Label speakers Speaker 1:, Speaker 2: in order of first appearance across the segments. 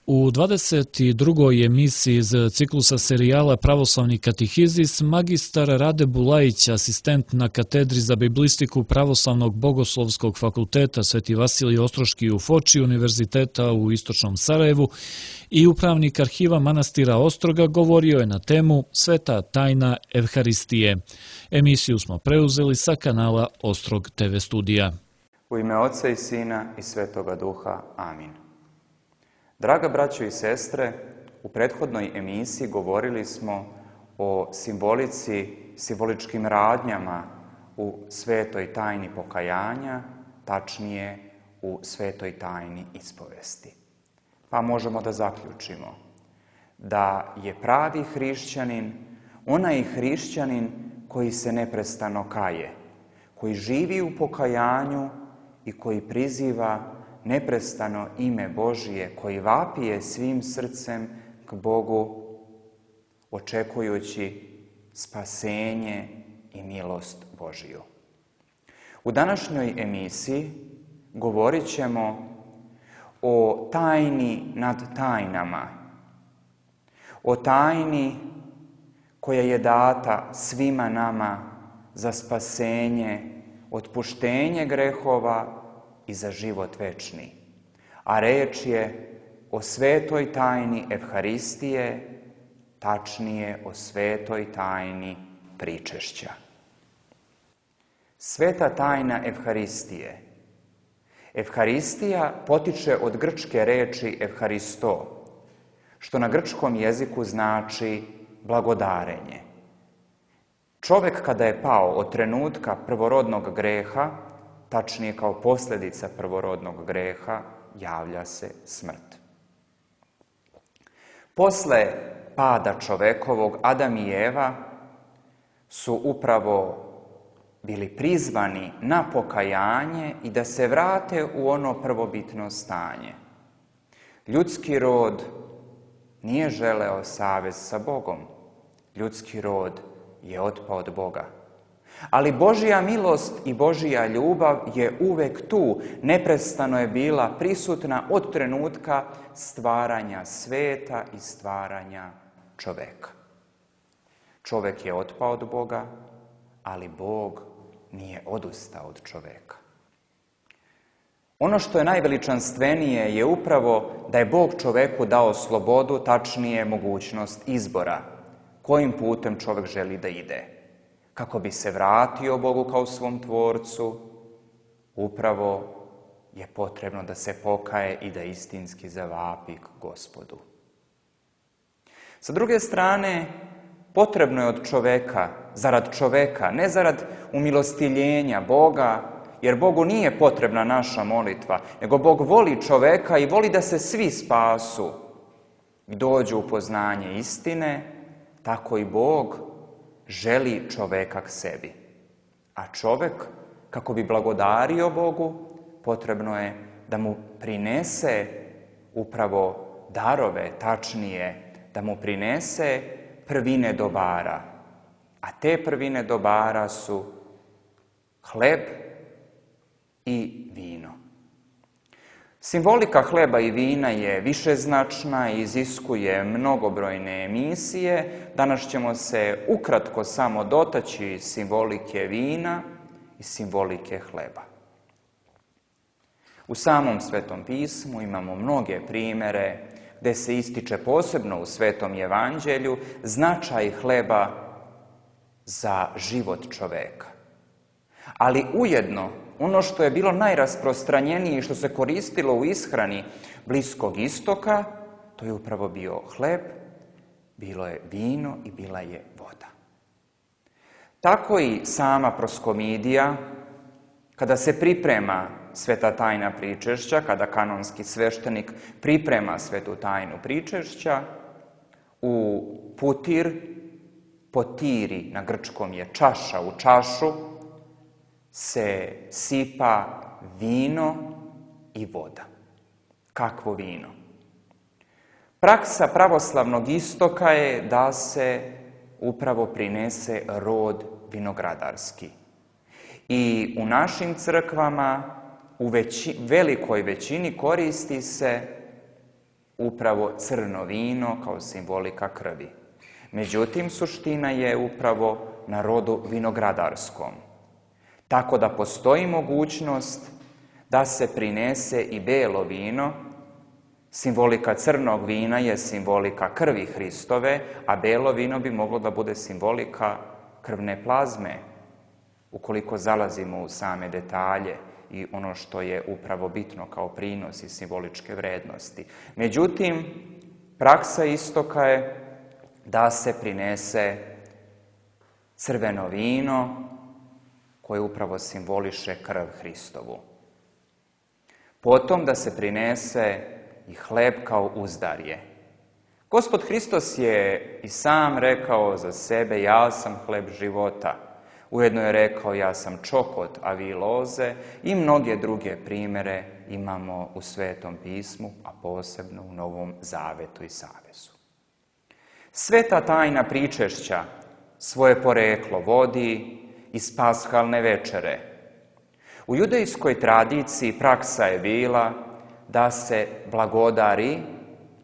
Speaker 1: U 22. emisiji iz ciklusa serijala Pravoslavni katehizis magistar Rade Bulajić, asistent na katedri za biblistiku Pravoslavnog bogoslovskog fakulteta Sveti Vasilij Ostroški u Foči, Univerziteta u Istočnom Sarajevu i upravnik arhiva manastira Ostroga govorio je na temu Sveta tajna Evharistije. Emisiju smo preuzeli sa kanala Ostrog TV studija.
Speaker 2: U ime Oca i Sina i Svetoga Duha. Amin. Draga braćo i sestre, u prethodnoj emisiji govorili smo o simboličkim radnjama u svetoj tajni pokajanja, tačnije u svetoj tajni ispovesti. Pa možemo da zaključimo da je pravi hrišćanin onaj hrišćanin koji se neprestano kaje, koji živi u pokajanju i koji priziva neprestano ime Božije, koji vapije svim srcem k Bogu, očekujući spasenje i milost Božiju. U današnjoj emisiji govorit ćemo o tajni nad tajnama, o tajni koja je data svima nama za spasenje, otpuštenje grehova i za život večni. A reč je o svetoj tajni Evharistije, tačnije o svetoj tajni pričešća. Sveta tajna Evharistije. Evharistija potiče od grčke reči Evharisto, što na grčkom jeziku znači blagodarenje. Čovjek kada je pao od trenutka prvorodnog greha, tačnije kao posljedica prvorodnog greha, javlja se smrt. Posle pada čovekovog, Adam i Eva su upravo bili prizvani na pokajanje i da se vrate u ono prvobitno stanje. Ljudski rod nije želeo savez sa Bogom. Ljudski rod je otpao od Boga. Ali Božja milost i Božja ljubav je uvek tu, neprestano je bila prisutna od trenutka stvaranja sveta i stvaranja čoveka. Čovek je otpao od Boga, ali Bog nije odustao od čoveka. Ono što je najveličanstvenije je upravo da je Bog čoveku dao slobodu, tačnije mogućnost izbora, kojim putem čovek želi da ide. Kako bi se vratio Bogu kao svom tvorcu, upravo je potrebno da se pokaje i da istinski zavapi k Gospodu. Sa druge strane, potrebno je od čoveka, zarad čoveka, ne zarad umilostiljenja Boga, jer Bogu nije potrebna naša molitva, nego Bog voli čoveka i voli da se svi spasu i dođu u poznanje istine, tako i Bog želi čoveka k sebi. A čovek, kako bi blagodario Bogu, potrebno je da mu prinese upravo darove, tačnije, da mu prinese prvine dobara. A te prvine dobara su hleb i vino. Simbolika hleba i vina je višeznačna i iziskuje mnogobrojne emisije. Danas ćemo se ukratko samo dotaći simbolike vina i simbolike hleba. U samom Svetom pismu imamo mnoge primere gde se ističe posebno u Svetom evanđelju značaj hleba za život čoveka. Ali ujedno, ono što je bilo najrasprostranjenije i što se koristilo u ishrani Bliskog istoka, to je upravo bio hleb, bilo je vino i bila je voda. Tako i sama proskomidija, kada se priprema sveta tajna pričešća, kada kanonski sveštenik priprema svetu tajnu pričešća, u putir, potiri na grčkom je čaša, u čašu se sipa vino i voda. Kakvo vino? Praksa pravoslavnog istoka je da se upravo prinese rod vinogradarski. I u našim crkvama u velikoj većini koristi se upravo crno vino kao simbolika krvi. Međutim, suština je upravo na rodu vinogradarskom. Tako da postoji mogućnost da se prinese i belo vino. Simbolika crnog vina je simbolika krvi Hristove, a belo vino bi moglo da bude simbolika krvne plazme, ukoliko zalazimo u same detalje i ono što je upravo bitno kao prinos i simboličke vrednosti. Međutim, praksa istoka je da se prinese crveno vino koje upravo simboliše krv Hristovu. Potom da se prinese i hleb kao uzdarje. Gospod Hristos je i sam rekao za sebe: ja sam hleb života. Ujedno je rekao: ja sam čokot, a vi loze, i mnoge druge primere imamo u Svetom pismu, a posebno u Novom zavetu i savezu. Sveta tajna pričešća svoje poreklo vodi iz pashalne večere. U judejskoj tradiciji praksa je bila da se blagodari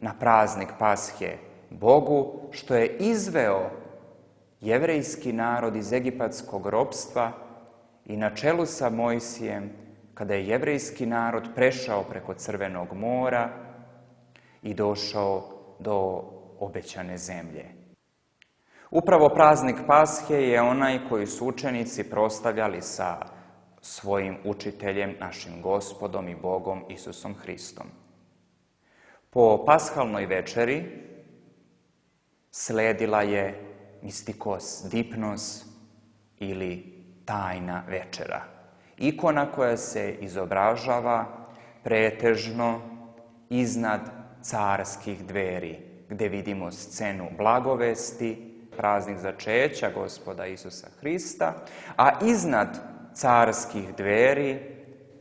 Speaker 2: na praznik Pashe Bogu što je izveo jevrejski narod iz egipatskog ropstva i na čelu sa Mojsijem, kada je jevrejski narod prešao preko Crvenog mora i došao do obećane zemlje. Upravo praznik Pashe je onaj koji su učenici proslavljali sa svojim učiteljem, našim Gospodom i Bogom Isusom Hristom. Po pashalnoj večeri sledila je mistikos dipnos ili tajna večera. Ikona koja se izobražava pretežno iznad carskih dveri, gde vidimo scenu blagovesti, praznik začeća Gospoda Isusa Hrista, a iznad carskih dveri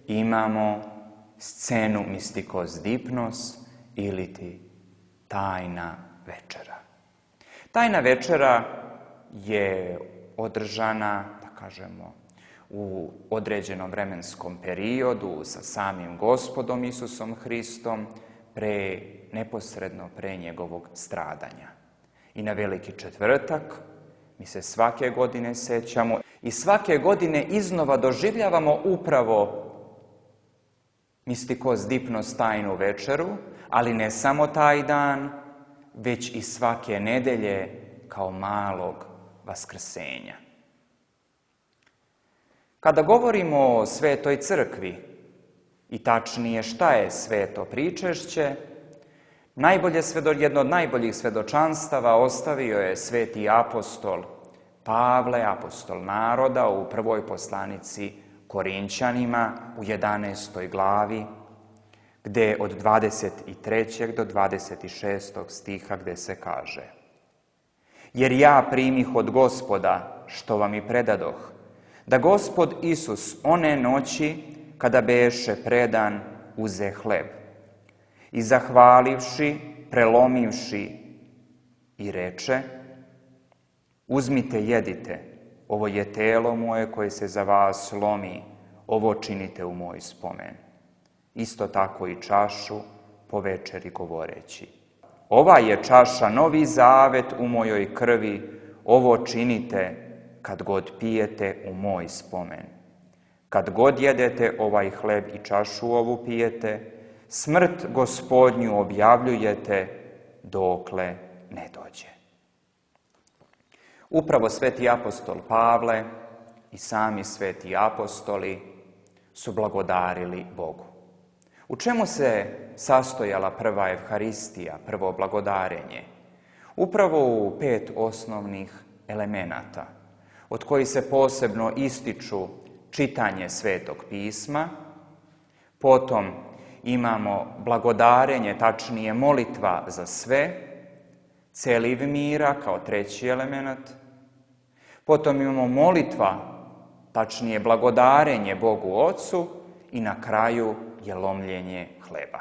Speaker 2: imamo scenu mistikos dipnos ili ti tajna večera. Tajna večera je održana, da kažemo, u određenom vremenskom periodu sa samim Gospodom Isusom Hristom, neposredno pre njegovog stradanja. I na Veliki četvrtak mi se svake godine sećamo i svake godine iznova doživljavamo upravo mistikos dipnos tajnu večeru, ali ne samo taj dan, već i svake nedelje kao malog vaskrsenja. Kada govorimo o Svetoj crkvi, i tačnije šta je sveto pričešće, jedno od najboljih svedočanstava ostavio je sveti apostol Pavle, apostol naroda, u prvoj poslanici Korinćanima u 11. glavi, gde od 23. do 26. stiha gde se kaže: jer ja primih od Gospoda što vam i predadoh, da Gospod Isus one noći kada beše predan uze hleb i zahvalivši, prelomivši i reče: uzmite, jedite, ovo je telo moje koje se za vas lomi, ovo činite u moj spomen. Isto tako i čašu po večeri govoreći: ova je čaša novi zavet u mojoj krvi, ovo činite kad god pijete u moj spomen. Kad god jedete ovaj hleb i čašu ovu pijete, smrt Gospodnju objavljujete dokle ne dođe. Upravo sveti apostol Pavle i sami sveti apostoli su blagodarili Bogu. U čemu se sastojala prva evharistija, prvo blagodarenje? Upravo u 5 osnovnih elemenata, od kojih se posebno ističu čitanje Svetog pisma, potom imamo blagodarenje, tačnije molitva za sve, celiv mira kao treći element, potom imamo molitva, tačnije blagodarenje Bogu Ocu i na kraju je lomljenje hleba.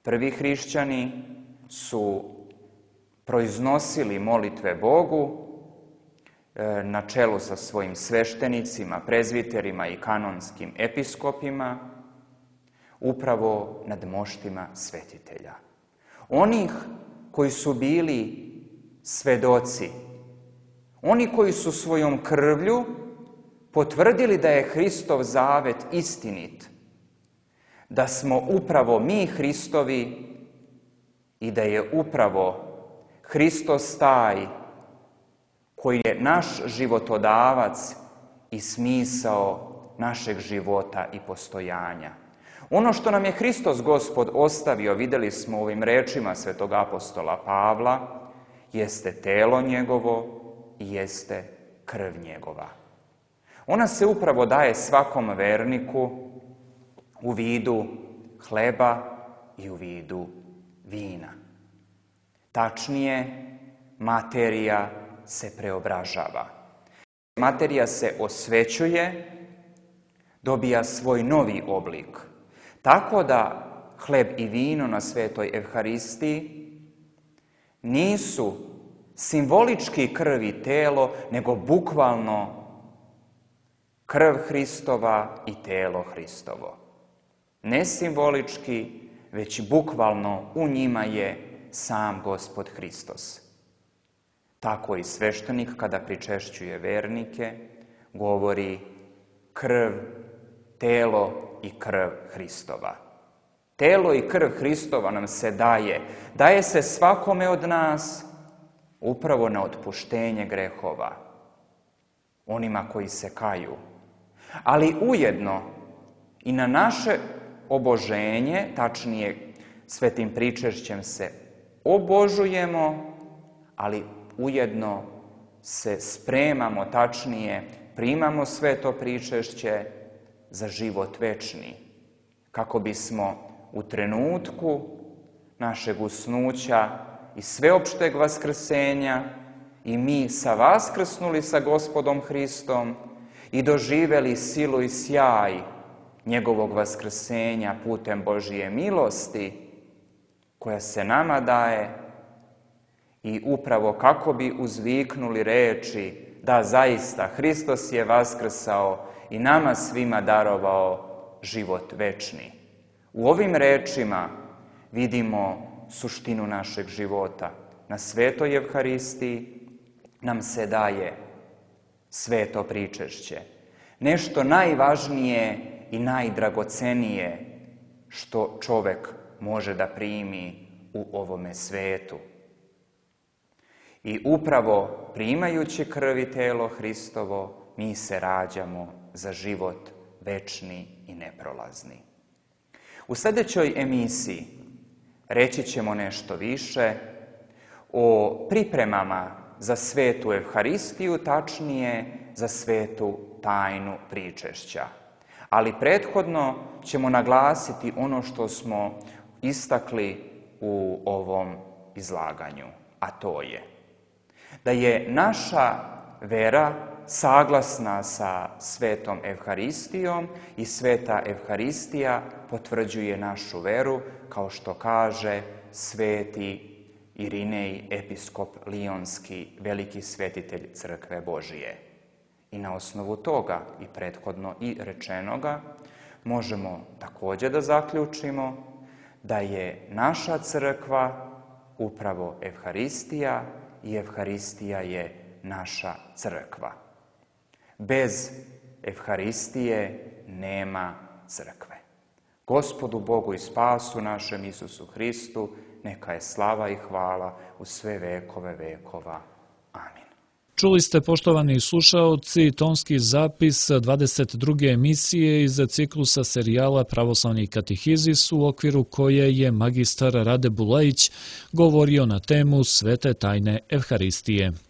Speaker 2: Prvi hrišćani su proiznosili molitve Bogu na čelu sa svojim sveštenicima, prezviterima i kanonskim episkopima, upravo nad moštima svetitelja. onih koji su bili svedoci, oni koji su svojom krvlju potvrdili da je Hristov zavet istinit, da smo upravo mi Hristovi i da je upravo Hristos taj koji je naš životodavac i smisao našeg života i postojanja. Ono što nam je Hristos Gospod ostavio, vidjeli smo u ovim rečima svetog apostola Pavla, jeste telo njegovo i jeste krv njegova. Ona se upravo daje svakom verniku u vidu hleba i u vidu vina. Tačnije, materija se preobražava. Materija se osvećuje, dobija svoj novi oblik. Tako da hleb i vino na svetoj Evharistiji nisu simbolički krv i telo, nego bukvalno krv Hristova i telo Hristovo. Ne simbolički, već bukvalno u njima je sam Gospod Hristos. Tako i sveštenik kada pričešćuje vernike govori krv, telo i krv Hristova. Telo i krv Hristova nam se daje se svakome od nas upravo na otpuštenje grehova, onima koji se kaju, ali ujedno i na naše oboženje, tačnije svetim pričešćem se obožujemo, ali ujedno se spremamo, tačnije primamo sveto pričešće za život večni, kako bismo u trenutku našeg usnuća i sveopšteg vaskrsenja i mi vaskrsnuli sa Gospodom Hristom i doživeli silu i sjaj njegovog vaskrsenja putem Božije milosti koja se nama daje i upravo kako bi uzviknuli reči da zaista Hristos je vaskrsao i nama svima darovao život večni. U ovim rečima vidimo suštinu našeg života. Na svetoj Evharistiji nam se daje sveto pričešće. Nešto najvažnije i najdragocenije što čovek može da primi u ovome svetu. I upravo primajući krv i telo Hristovo, mi se rađamo za život večni i neprolazni. U sljedećoj emisiji reći ćemo nešto više o pripremama za svetu Evharistiju, tačnije za svetu tajnu pričešća. Ali prethodno ćemo naglasiti ono što smo istakli u ovom izlaganju, a to je da je naša vera saglasna sa svetom Evharistijom i sveta Evharistija potvrđuje našu veru, kao što kaže sveti Irinej, episkop Lionski, veliki svetitelj Crkve Božije. I na osnovu toga i prethodno i rečenoga možemo također da zaključimo da je naša crkva upravo Evharistija i Evharistija je naša crkva. Bez Evharistije nema crkve. Gospodu Bogu i spasu našem Isusu Hristu, neka je slava i hvala u sve vekove vekova. Amin.
Speaker 1: Čuli ste, poštovani slušaoci, tonski zapis 22. emisije iz ciklusa serijala Pravoslavni katehizis, u okviru koje je magistar Rade Bulajić govorio na temu Svete tajne Evharistije.